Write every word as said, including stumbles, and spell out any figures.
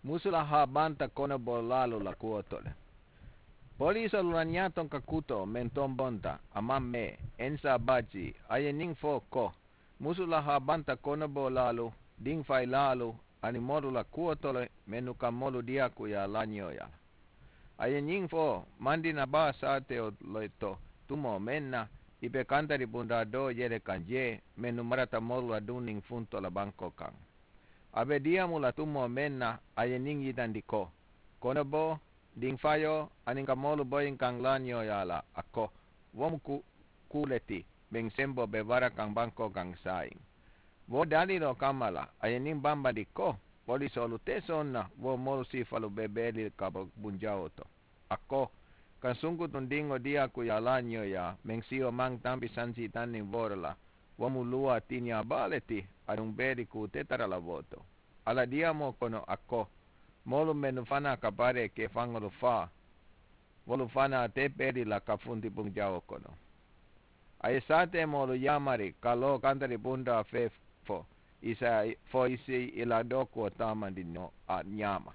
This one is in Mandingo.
Musu la haa banta konoboo laalu la kuwotole. Poliisoolu la ñaatoŋ ka kutoo meŋ tombonta a maŋ mee ensa baajii a ye ñiŋ fo ko, musu la haa banta konoboo laalu, diŋ fayi laalu, aniŋ moolu la kuwotole mennu ka moolu diyaakuyaa laañooyaa la. A ye ñiŋ fo, mandina baa saatewo le to tumoo meŋ na, i be kantari bundaa doo yele kaŋ jee mennu marata moolu la duŋ niŋ funto la bankoo kaŋ. A be diyaamu la tumoo meŋ na, a ye ñiŋ yitandi ko, konoboo, diŋ fayoo, aniŋ ka moolu boyinkaŋ laañooyaa la a ko, wo mu kuu le ti meŋ semboo be bara kaŋ bankoo kaŋ saayiŋ. Wo daliiloo kamma la a ye ñiŋ bambandi ko, poliisoolu te soŋ na wo moolu siifalu be beeli ka bo bunjawoo to. A ko, ka sunkutuŋ diŋo diyaakuyaa laañooyaa meŋ siyo maŋ tampi sansii taŋ niŋ wooro la, wo mu luwaa tiñaa baa le ti. Aduŋ beeli kuu te tara la wo to. A la diyaamoo kono a ko, moolu mennu fanaa ka baree ke faŋolu faa, wolu fanaa te beeli la ka funti bunjawoo kono. A ye saateemoolu yaamari ka loo kantari bundaa fee fo i si a fo i si i la dookuwo taamandi noo a ñaama.